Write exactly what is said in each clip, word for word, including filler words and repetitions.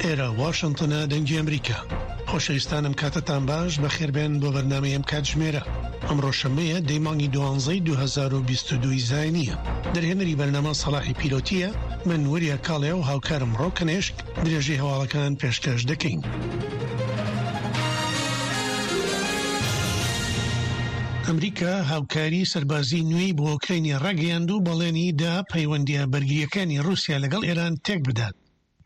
ئێرە واشنتنە، دەنگی ئەمریکا. خۆشەویستانم کاتتان باش، بەخێربێن بۆ بەرنامەی ئەم کاتژمێرە. ئەمڕۆ شەممەیە دەی مانگی دوانزەی دوو هەزار و بیست و دوو زایینیە. دەرهێنەری بەرنامە سەڵاحی پیرۆتیە، من وریا کاڵێ و هاوکارم ڕۆکەنێشک درێژەی هەواڵەکان پێشکەش دەکەین. ئەمریکا هاوکاری سەربازی نوێی بۆ ئۆکراینیا ڕاگەیاند و بەڵێنی دا پەیوەندیە بەرگریەکانی ڕووسیا لەگەڵ ئێران تێک بدات.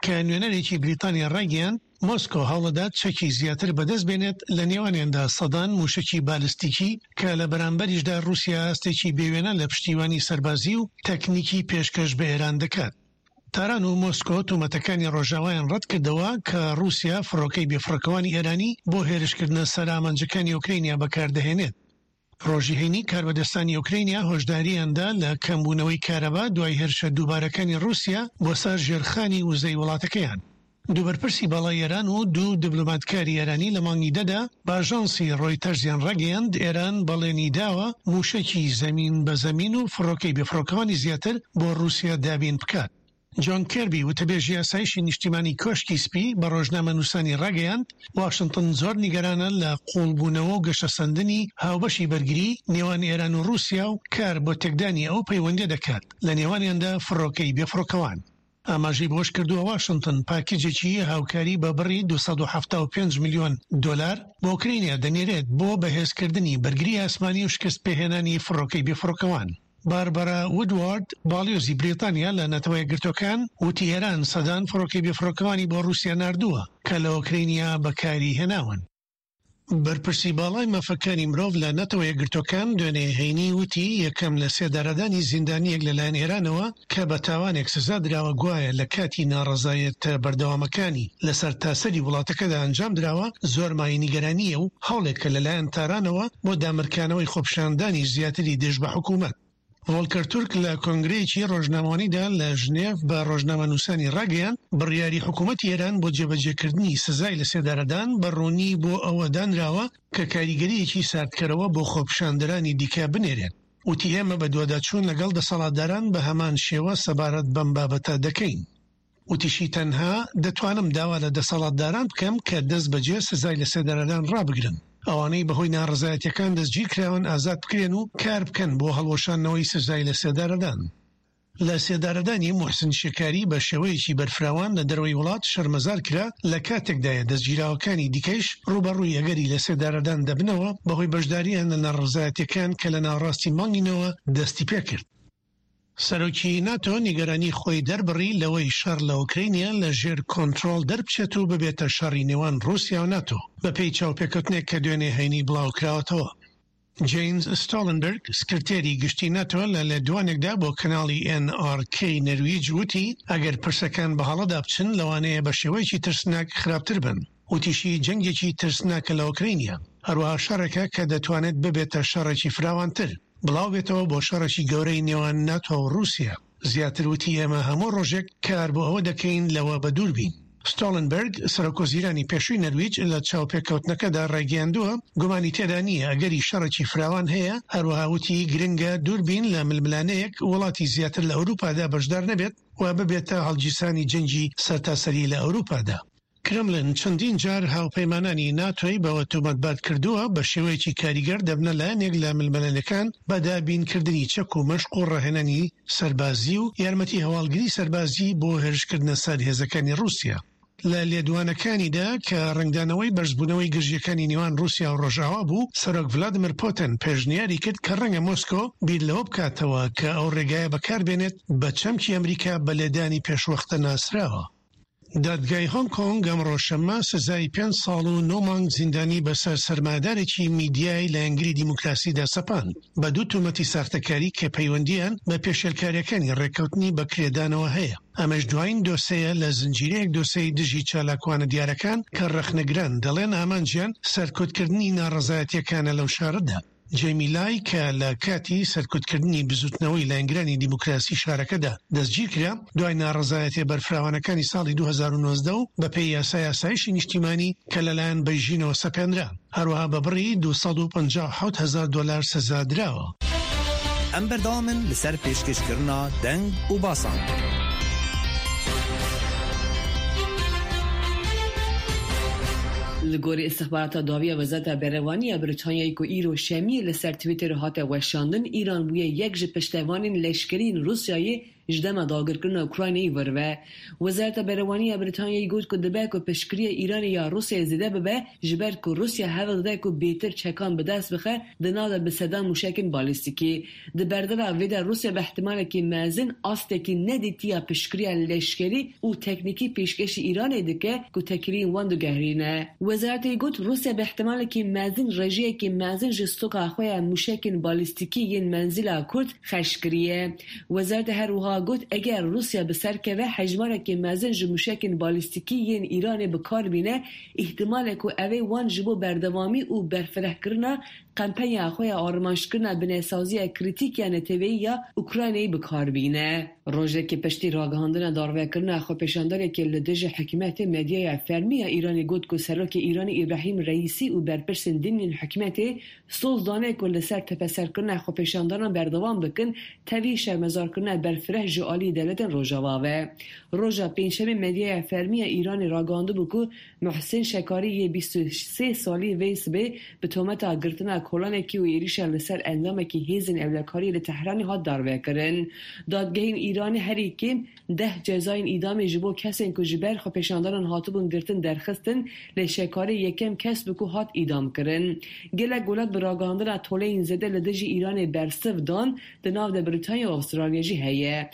کە نوێنەرێکی بریتانیا ڕایگەیاند مۆسکۆ هەوڵدەدات چەکی زیاتر بەدەست بێنێت، لە نێوانیاندا سەدان موشکی بالستیکی، کە لە بەرامبەریشدا ڕووسیا ئاستێکی بێوێنە لە پشتیوانی سەربازی و تەکنیکی پێشکەش بە ئێران دەکات. تاران و مۆسکۆ تۆمەتەکانی ڕۆژاوایان ڕەتکردەوە کە ڕووسیا فڕۆکەی بێفڕۆکەوانی ئێرانی بۆ هێرشکردنە سەر ئامانجەکانی ئۆکراینیا بەکاردەهێنێت. ڕۆژی هەینی کاربەدەستانی ئۆکراینیا هۆشداریاندا لە کەمبوونەوەی کارەبا دوای هێرشە دووبارەکانی ڕووسیا بۆ سەر ژێرخانی وزەی وڵاتەکەیان. دوو بەرپرسی باڵای ئێران و دوو دیبلۆماتکاری ئێرانی لە مانگی دەدا بە ئاژانسی ڕۆیتەرزیان ڕاگەیاند ئێران بەڵێنی داوە موشەکی زەمین بە زەمین و فڕۆکەی بێفڕۆکەوانی زیاتر بۆ ڕووسیا دابین بکات. جۆن کێربی وتەبێژی ئاسایشی نیشتیمانی کۆشکی سپی بە ڕۆژنامەنووسانی ڕاگەیاند واشنتن زۆر نیگەرانە لە قوڵبوونەوە و گەشەسەندنی هاوبەشی بەرگری نێوان ئێران و ڕووسیا و کار بۆ تێکدانی ئەو پەیوەندی دەکات لە نێوانیاندا فڕۆکەی بێفڕۆکەوان. ئاماژەی بەوەش کردووە واشنتن پاکێجێکی هاوکاری بە بڕی دوو سەد و حەفتا و پێنج ملیۆن دۆلار بۆ ئۆکراینیا دەنێرێت بۆ بەهێزکردنی بەرگری ئاسمانی و شکست پێهێنانی فڕۆکەی بێفڕۆکەوان. باربارا وودوارد باڵیۆزی بریتانیا لە نەتەوە یەکگرتووەکان وتی ئێران سەدان فڕۆکەی بێفڕۆکەوانی بۆ ڕووسیا ناردووە کە لە ئۆکراینیا بەکاری هێناون. بەرپرسی باڵای مافەکانی مرۆڤ لە نەتەوە یەکگرتووەکان دوێنێ هەینی وتی یەکەم لە سێدارەدانی زیندانیەک لەلایەن ئێرانەوە کە بە تاوانێک سزا دراوە گوایە لە کاتی ناڕەزایەتە بەردەوامەکانی لەسەر تاسەری وڵاتەکەدا ئەنجام دراوە زۆر مایەی نیگەرانییە و هەوڵێک کە لەلایەن تارانەوە بۆ دامرکانەوەی خۆپیشاندانی زیاتری دژ بە حکوومەت. ڤۆلکەر تورک لە کۆنگرەیەکی ڕۆژنامەوانیدا لە ژنێف بە ڕۆژنامەنووسانی ڕاگەیاند بڕیاری حکوومەتی ئێران بۆ جێبەجێکردنی سزای لە سێدارەدان بە ڕوونی بۆ ئەوە دانراوە کە کاریگەریەکی ساردکەرەوە بۆ خۆپیشاندەرانی دیکە بنێرێت. وتی ئێمە بەدواداچوون لەگەڵ دەسەڵاتداران بە هەمان شێوە سەبارەت بەم بابەتە دەکەین. وتیشی تەنها دەتوانم داوا لە دەسەڵاتداران بکەم کە دەست بەجێ سزای لە سێدارەدان ڕابگرن، ئەوانەی بەهۆی ناڕەزایەتیەکان دەستگیرکراون ئازاد بکرێن و کار بکەن بۆ هەڵوەشاندنەوەی سزای لە سێدارەدان. لە سێدارەدانی موحسن شکاری بە شێوەیەکی بەرفراوان لە دەرەوەی وڵات شەرمەزار کرا، لە کاتێکدایە دەستگیراوەکانی دیکەیش ڕووبەڕووی ئەگەری لە سێدارەدان دەبنەوە بەهۆی بەشداریان لە ناڕەزایەتیەکان کە لە ناوەڕاستی مانگینەوە دەستی پێکرد. سەرۆکی ناتۆ نیگەرانی خۆی دەربڕی لەوەی شەڕ لە ئۆکراینیا لە ژێر کۆنترۆڵ دەربچێت و ببێتە شەڕی نێوان ڕووسیا و ناتۆ بەپێی چاوپێکەوتنێک کە دوێنێ هەینی بڵاوکراوەتەوە. جەیمز ستۆڵنبرگ سکرتێری گشتی ناتۆ لە لێدوانێکدا بۆ کەناڵی ئێن ئاڕ کەی نەرویج وتی ئەگەر پرسەکان بە هەڵەدا بچن لەوانەیە بە شێوەیەکی ترسناک خراپتر بن. وتیشی جەنگێکی ترسناکە لە ئۆکراینیا، هەروەها شەڕێکە کە دەتوانێت ببێتە شەڕێکی فراوانتر، بڵاو بێتەوە بۆ شەڕێکی گەورەی نێوان ناتۆ و ڕووسیا. زیاتر وتی ئێمە هەموو ڕۆژێک کار بۆ ئەوە دەکەین لەوە بەدوور بین. ستۆڵنبرگ سەرۆک وەزیرانی پێشووی نەرویج لە چاوپێکەوتنەکەدا ڕایگەیاندووە گومانی تێدا نییە ئەگەری شەڕێکی فراوان هەیە، هەروەها وتی گرنگە دووربین لە ململانەیەک وڵاتی زیاتر لە ئەوروپادا بەشدار نەبێت و ببێتە هەڵگیرسانی جەنگی سەرتاسەری لە ئەوروپادا. کرملن چەندین جار هاوپەیمانانی ناتۆی بەوە تۆمەتبار کردووە بە شێوەیەکی کاریگەر دەبنە لایەنێک لە ململانەکان بە دابینکردنی چەک و مەشق و ڕاهێنانی سەربازی و یارمەتی هەواڵگری سەربازی بۆ هێرشکردنە سەر هێزەکانی ڕووسیا. لە لێدوانەکانیدا کە ڕەنگدانەوەی بەرزبوونەوەی گرژیەکانی نێوان ڕووسیا و ڕۆژئاوا بوو، سەرۆک ڤلادیمیر پوتن پێشنیاری کرد کە ڕەنگە مۆسکۆ بیر لەوە بکاتەوە کە ئەو ڕێگایە بەکاربێنێت بە چەمکی ئەمریکا بە لێدانی پێشوەختە ناسراوە. دادگای هۆنگ کۆنگ ئەمڕۆ شەممە سزای پێنج ساڵ و نۆ مانگ زیندانی بەسەر سەرمایەدارێکی میدیای لایەنگری دیموکراسیدا سەپاند بە دوو تۆمەتی ساختەکاری کە پەیوەندیان بە پێشێلکاریەکانی ڕێککەوتنی بەکرێدانەوە هەیە. ئەمەش دوایین دۆسەیە لە زنجیرەیەک دۆسەی دژی چالاکوانە دیارەکان کە ڕەخنەگران دەڵێن ئامانجیان سەرکوتکردنی ناڕەزایەتیەکانە لەو شارەدا. جەیمی لای کە لە کاتی سەرکوتکردنی بزوتنەوەی لایەنگرانی دیموکراسی شارەکەدا دەستگیرکرا دوای ناڕەزایەتیە بەرفراوانەکانی ساڵی دوو هەزار و نۆزدە و بەپێی یاسای ئاسایشی نیشتیمانی کە لەلایەن بەیژینەوە سەپێنرا، هەروەها بە بڕی دوو سەد و پەنجا و حەوت هەزار دۆلار سزا دراوە. ئەم بەردەوامن لەسەر پێشکەشکردنا دەنگ و باسان. Li gorî îstixbarata dawî ya Wezareta Berevanî ya Brîtanyayê ku îro şemiyê li ser Twitterê hate weşandin, Îran bûye yek ji piştevanên leşkerî yên Rûsyayê ji dema dagirkirina Ukraynayê vir ve. Wezareta Berevanî ya Brîtanyayê got ku dibe ku piştgiriya Îranê ya Rûsyayê zêde bibe ji ber ku Rûsya hewl dide ku bêtir çekan bi dest bixe di nav de bi sedan mûşekên balîstîkî. Di berdeva vê de Rûsya bi îhtimalekî mezin astekî nedîtiya piştgiriya leşkerî û teknîkî pêşkêşî Îranê dike ku têkiliyên wan diguherîne. Wezaretê got Rûsya bi îhtimalekî mezin rêjeyekî mezin ji stoka xwe ya mûşekên balîstîkî yên menzîla kurt xerc kiriye. Wezaretê her wiha got eger Rûsya bi ser keve hejmarekî mezin ji mûşekên balîstîkî yên Îranê bi kar bîne, îhtimal e ku ew ê wan ji bo berdewamî û berfirehkirina kampanya xwe ya armanckirina binesaziya krîtîk ya neteweyî ya Ukraynayê bi kar bîne. Rojekê piştî ragihandina darvekirina xwepêşandarekê li dijî hikûmetê medyaya fermî ya Îranê got ku Serokê Îranê Îbrahîm Reîsî û berpirsên din yên hikûmetê soz dane ku li ser tepeserkirina xwepêşandanan berdewam bikin tevî şermezarkirina berfireh ji aliyê dewletên Rojava ve. Roja pêncşemê medyaya fermî ya Îranê ragihandibû ku Muhsin Şekarî yê bîst û sê salî vê sibê bi tometa girtina kolanekî û êrişa li ser endamekî hêzên ewlekariyê li Tehranê hat darvekirin. Dadgehên Îranê herî kêm deh cezayên îdamê ji bo kesên ku ji ber xwepêşandanan hatibûn girtin derxistin, lê Şekarî yekem kes bû ku hat îdamkirin. Gelek welat bi ragihandina toleyên zêde li dijî Îranê bersiv dan, di nav de Brîtanya û Awistralya jî heye.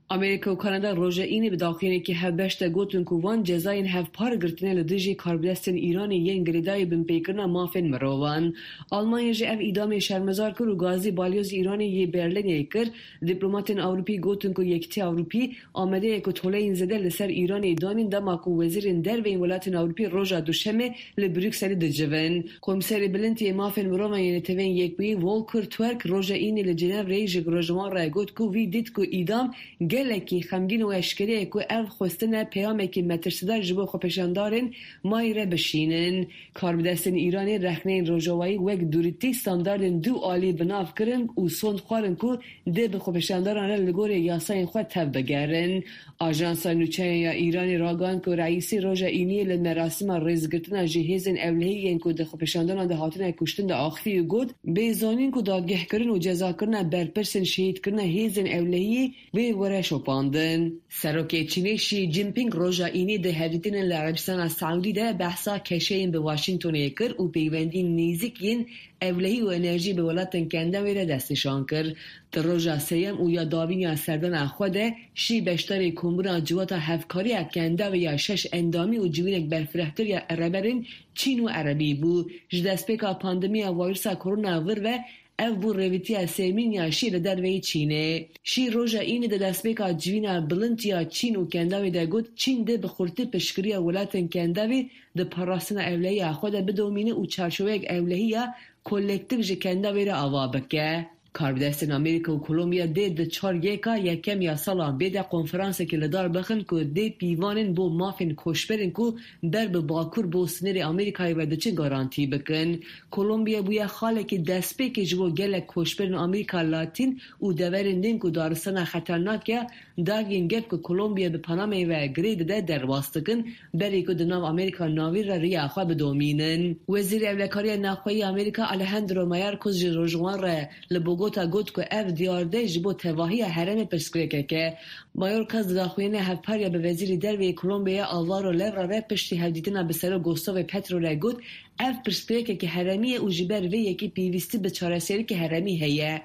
Amerîka û Kanada roja înê bi daxuyaniyekê hevbeş de gotin ku wan cezayên hevpar girtine li dijî karbidestên Îranê yên girêdayî binpêkirina mafên mirovan. Almanya jî ev îdamê şermezar kir û gazî balyozê Îranê yê Berlînê kir. Dîplomatên Ewropî gotin ku Yekîtiya Ewropî amade ye ku toleyên zêde li ser Îranê danîn dema ku wezîrên derveyên welatên Ewropî roja duşemê li Brukselê dicivin. Komîserê Bilind yê Mafên Mirovan yê Neteweyên Yekbûyî Volker Türk roja înê li Cenevreyê ji rojnamevan re got ku wî dît ku îdam gelekî xemgîn û eşkere ye ku ev xwestine peyamekî metirsidar ji bo xwepêşandarên mayî re bişînin. Karbidestên Îranê rexneyên rojavayî wek dûrîtî standardên du alî bi nav kirin û sond xwarin ku dê bi xwepêşandaran re li gorî yasayên xwe tev bigerin. Ajansa nûçeyan ya Îranê ragihand ku Reîsî roja îniyê li merasima rêzgirtina ji hêzên ewlehî yên ku di xwepêşandanan de hatine kuştin de axivî û got bê zanîn ku dadgehkirin û cezakirina berpirsên şehîdkirina hêzên ewlehiyê wê were şopandin. Serokê Çînê Xi Jinping roja înê di hevdîtinên li Erebistana Saudî de behsa keşeyên bi Washingtonê kir û peywendiyên nêzîk yên ewlehî û enerjî bi welatên Kendavê re destnîşan kir. Di roja sêyem û ya dawîn ya serdana xwe de Xi beşdarê kombûna civata hevkariya Kendavê ya şeş endamî û civînek berfirehtir ya rêberên Çîn û Erebî bû. Ji destpêka pandemiya vîrusa korona vir ve ev bû rêvîtiya sêmîn ya Xi li derveyî Çînê. Xi roja înê di destpêka civîna bilind ya Çîn û Kendavê de got Çîn dê bi xurtî piştgiriya welatên Kendavê di parastina ewlehiya xwe de bidomîne û çarçoveyek ewlehiya kolektîf ji Kendavê re ava bike. Karbidestên Amerîka û Kolombiya dê di çar yeka yekem ya sala bê de konferansekê li dar bixin ku dê pîvanên bo mafên koçberên ku ber bi bakur bo sînorê Amerîkayê ve diçin garantî bikin. Kolombiya bûye xalekî destpêkê ji bo gelek koçberên Amerîka Latîn û deverên din ku daristana xeternak ya Darien Gap ku Kolombiya bi Panamayê ve girê dide derbas dikin, berê ku di nav Amerîka Navîn re riya xwe bidomînin. Wezîrê Ewlekariya Navxweyî Amerîka Alejandro Mayorkas ji rojnamevan re li Bogota got ku ev diyarde ji bo tevahiya herêmê pirsgirêkek e. Mayorkas di daxuyaniya hevpar bi Wezîrê Derve yê Kolombiyayê Alvaro Leyva re piştî hevdîtina bi Serok Gustavo Petro re got ev pirsgirêkeke herêmî ye û ji ber vê yekê pêwîstî bi çareseriyeke herêmî heye.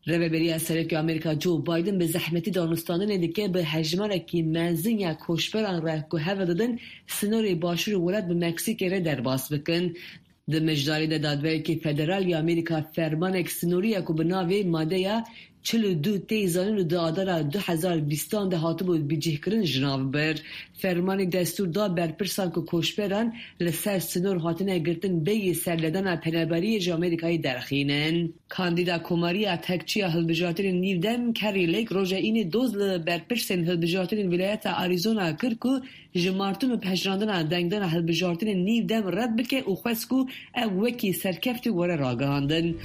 Rêveberiya Serokê Amerîka Joe Biden bi zehmetî danûstandinê dike bi hejmarekî mezin ya koçberan re ku hewl didin sînorê başûrê welat bi Meksîkê re derbas bikin. Di mijdarê de Dadgerekî Federal ya Amerîka fermanek sînorî ya ku bi navê madeya çil û du tê zanîn û di adara du hezar bîstan de hatibû bicihkirin ji nav bir. Fermanê destûr da berpirsan ku koçberan li ser sînor hatine girtin bêyî serlêdana penaberiyê ji Amerîkayê derxînin. Kandîda Komariya Tekçiya Hilbijartinên Nîvdem Kari Lake roja înê doz li berpirsên hilbijartinên Wîlayeta Arizona kir ku ji martin û pejirandina dengdana hilbijartinên nîvdem red bike û xwest ku ew wekî serkeftî were ragihandin.